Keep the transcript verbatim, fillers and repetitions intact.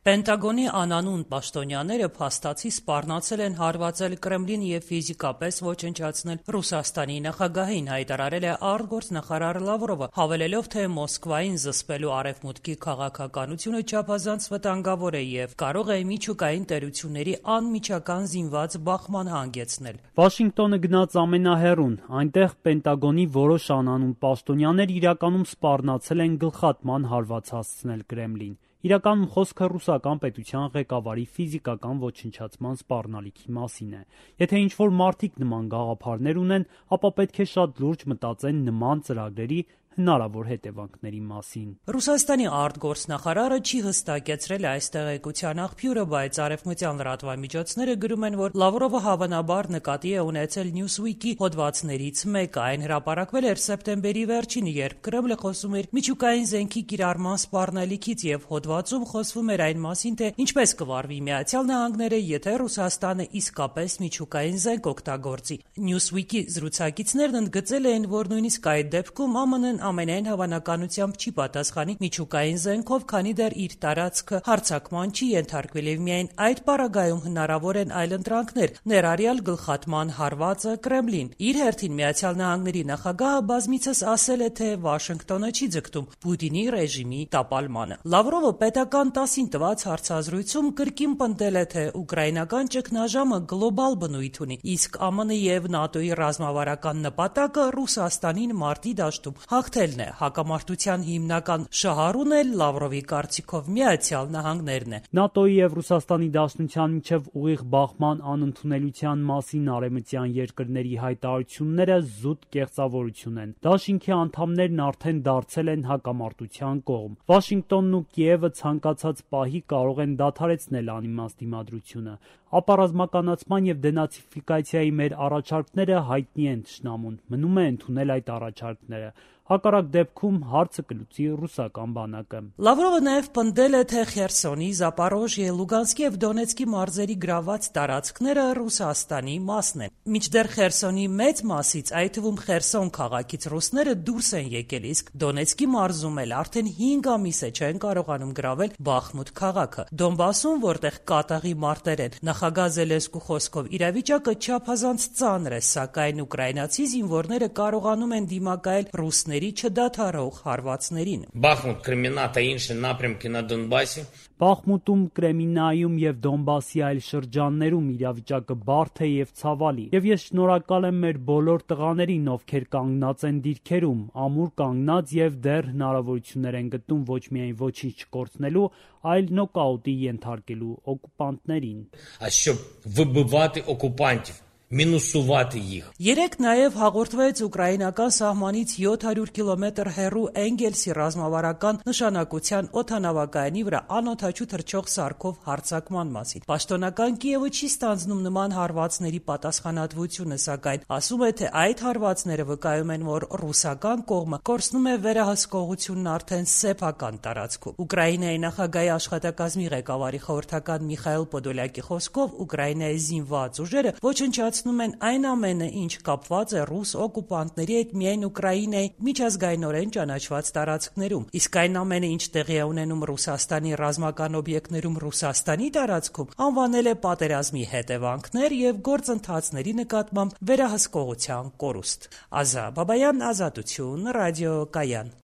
Պենտագոնի անանուն պաշտոնյաները փաստացի սպառնացել են հարվածել Կրեմլին եւ ֆիզիկապես ոչնչացնել Ռուսաստանի նախագահին, հայտարարել է արտգործնախարար Լավրովը, հավելելով, թե Մոսկվային զսպելու արևմուտքի քաղաքականությունը չափազանց վտանգավոր է եւ կարող է միջուկային տերությունների անմիջական զինված բախման հանգեցնել։ Վաշինգտոնը գնաց ամենահեռուն, այնտեղ Պենտագոնի որոշ անանուն պաշտոնյաներ իրականում սպառնացել են գլխատման հարված հասցնել Կրեմլին։ Իրականում խոսքը ռուսական պետության ղեկավարի ֆիզիկական ոչնչացման սպառնալիքի մասին է։ Եթե ինչ-որ մարդիկ նման գաղափարներ ունեն, ապա պետք է շատ լուրջ մտածեն նման ծրագրերի հնարավոր հետևանքների մասին։ Ռուսաստանի արտգործնախարարը չի հստակեցրել այս տեղեկության աղբյուրը, բայց արևմտյան լրատվամիջոցները գրում են, որ Լավրովը հավանաբար նկատի է ունեցել Newsweek-ի հոդվածներից մեկը։ Այն հրապարակվել էր սեպտեմբերի վերջին, երբ Կրեմլը խոսում էր միջուկային զենքի կիրառման սպառնալիքից եւ հոդվածում խոսվում էր այն մասին, թե ինչպես կվարվի Միացյալ Նահանգները, եթե Ռուսաստանը իսկապես միջուկային զենք օգտագործի։ Newsweek-ի զրուցակիցներն ընդգծել էին, որ նույնիսկ այդ դեպքում ԱՄՆ-ն ամենայն հավանականությամբ չի պատասխանի միջուկային զենքով, քանի դեռ իր տարածքը հարձակման չի ենթարկվել եւ միայն այդ պարագայում հնարավոր են այլընտրանքներ, ներառյալ գլխատման հարվածը Կրեմլին։ Իր հերթին Միացյալ Նահանգների նախագահը բազմիցս ասել է, թե Վաշինգտոնը չի ձգտում Պուտինի ռեժիմի տապալմանը։ Լավրովը պետական տասին տված հարցազրույցում կրկին պնդել է, թե ուկրաինական ճգնաժամը գլոբալ բնույթ ունի, իսկ ԱՄՆ եւ ՆԱՏՕ-ի ռազմավարական նպատակը Ռուսաստանին մարտի դաշտում հաղթելն է։ Հակամարտության հիմնական շահառուն էլ Լավրովի կարծիքով Միացյալ Նահանգներն է։ ՆԱՏՕ-ի եւ Ռուսաստանի Դաշնության միջև ուղիղ բախման անընդունելության մասին արևմտյան երկրների հայտարարությունները զուտ կեղծավորություն են։ Դաշինքի անդամներն արդեն դարձել են հակամարտության կողմ։ Վաշինգտոնն ու Կիևը ցանկացած պահի կարող են դադարեցնել անիմաստ դիմադրությունը։ Ապառազմականացման եւ դենացիֆիկացիայի մեր առաջարկները հայտնի են թշնամուն։ Մնում է ընդունել այդ առաջարկները։ Հակառակ դեպքում հարցը կլուծի ռուսական բանակը։ Լավրովը նաև պնդել է, թե Խերսոնի, Զապարոժիե, Լուգանսկի եւ Դոնեցկի մարզերի գրաված տարածքները Ռուսաստանի մասն են։ Մինչդեռ Խերսոնի մեծ մասից, այդ թվում Խերսոն քաղաքից ռուսները դուրս են եկել, իսկ Դոնեցկի մարզում էլ արդեն հինգ ամիս է չեն կարողանում գրավել Բախմուտ քաղաքը։ Դոնբասում, որտեղ կատաղի մարտեր են, նախագահ Զելենսկու խոսքով իրավիճակը չափազանց ծանր է, սակայն ուկրաինացի զինվորները կարողանում են դիմակայել ռուսների չդադարող հարվածներին։ Բախմուտ, Կրեմինա та інші напрямки на Донбасі. Բախմուտում, Կրեմինայում եւ Դոնբասի այլ շրջաններում իրավիճակը բարդ է եւ ցավալի։ Եվ ես շնորհակալ եմ մեր բոլոր տղաներին, ովքեր կանգնած են դիրքերում, ամուր կանգնած եւ դեռ հնարավորություններ են գտնում ոչ միայն ոչինչ չկորցնելու, այլ նոկաուտի ենթարկելու օկուպանտներին։ А щоб вибивати окупантів. Մինուսուվատի їх։ Երեք նաև հաղորդվեց ուկրաինական սահմանից յոթ հարյուր կիլոմետր հեռու Էնգելսի ռազմավարական նշանակության օդանավակայանի վրա անօդաչու թռչող սարքով հարձակման մասին։ Պաշտոնական Կիևը չի ստանձնում նման հարվածների պատասխանատվությունը, սակայն ասում է, թե այդ հարվածները վկայում են, որ ռուսական կողմը կորցնում է վերահսկողությունն արդեն սեփական տարածքում։ Ուկրաինայի նախագահի աշխատակազմի ղեկավարի խորհրդական Միխայել Պոդոլյակի խոսքով Ուկրաինայի զինված ուժերը ոչնչացնում են այն ամենը, ինչ կապված է ռուս օկուպանտների հետ միայն Ուկրաինայի միջազգայինորեն ճանաչված տարածքներում, իսկ այն ամենը, ինչ տեղի է ունենում Ռուսաստանի ռազմական օբյեկտներում Ռուսաստանի տարածքում, անվանել է պատերազմի հետևանքներ եւ գործընթացների նկատմամբ վերահսկողության կորուստ։ Ազա Բաբայան, Ազատություն, Ռադիո Կայան։